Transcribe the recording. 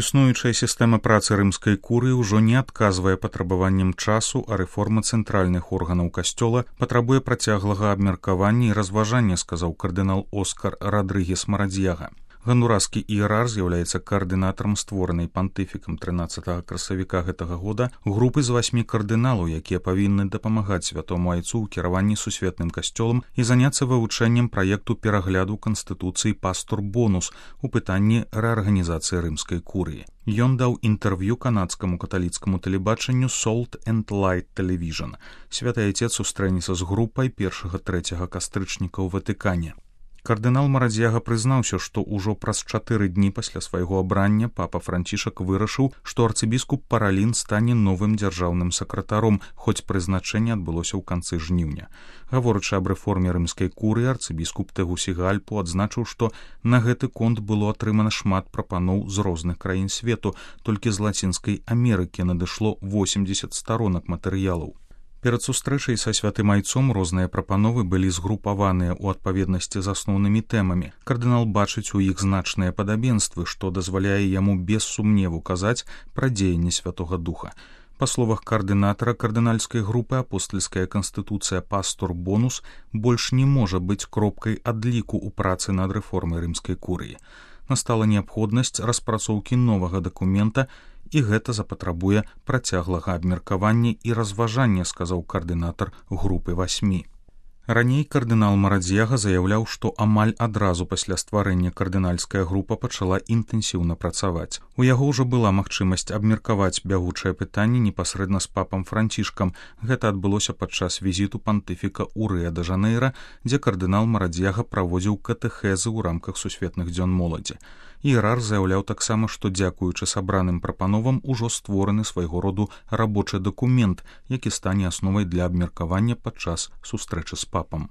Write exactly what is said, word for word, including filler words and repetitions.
Існуючая сістэма працы рымскай курыі ўжо не адказвае патрабаванням часу, а рэформа цэнтральных органаў касцёла патрабуе працяглага абмеркавання і разважання, сказаў кардынал Оскар Радрыгес Марадзьяга. Гондураскі іерар з'яўляецца каардынатарам створанай пантыфікам трынаццатага красавіка гэтага года групы з васьмі кардыналаў, якія павінны дапамагаць святому айцу ў кіраванні сусветным касцёлам і заняцца вывучэннем праекту перагляду канстытуцыі «Пастор-Бонус» у пытанні рэарганізацыі рымскай курыі. Ён даў інтэрв'ю канадскаму каталіцкаму тэлебачанню Salt and Light Television. Святы айцец сустрэнецца з групай першага-трэцяга кастрычніка ў Ватыкане. Кардынал Марадзьяга прызнаўся, што ўжо праз чатыры дні пасля свайго абрання папа Францішак вырашыў, што арцыбіскуп Паралін стане новым дзяржаўным сакратаром, хоць прызначэнне адбылося ў канцы жніўня. Гаворачы аб рэформе рымскай курыі, арцыбіскуп Тэгусігальпу адзначыў, што на гэты конт было атрымана шмат прапаноў з розных краін свету, толькі з Лацінскай Амерыкі надышло восемдзесят старонак матэрыялаў. Перад сустрэчай са святым айцом розныя прапановы былі згрупаваныя ў адпаведнасці з асноўнымі тэмамі. Кардынал бачыць у іх значныя падабенствы, што дазваляе яму без сумневу казаць пра дзеянне Святога Духа. Па словах каардынатара кардынальскай групы, апостальская канстытуцыя «Пастор-Бонус» больш не можа быць кропкай адліку ў працы над рэформай рымскай курыі. Настала неабходнасць распрацоўкі новага дакумента, і гэта запатрабуе працяглага абмеркавання і разважання, сказаў каардынатар групы васьмі. Раней кардынал Марадзьяга заяўляў, што амаль адразу пасля стварэння кардынальская група пачала інтэнсіўна працаваць. У яго ўжо была магчымасць абмеркаваць бягучае пытанне непасрэдна з папам Францішкам. Гэта адбылося падчас візіту пантыфіка ў Рыа-дэ-Жанэйра, дзе кардынал Марадзьяга праводзіў катэхэзы ў рамках сусветных дзён моладзі. Іерар заяўляў таксама, што дзякуючы сабраным прапановам ужо створаны свайго роду рабочы дакумент, які стане асновай для абмеркавання падчас сустрэчы з папам.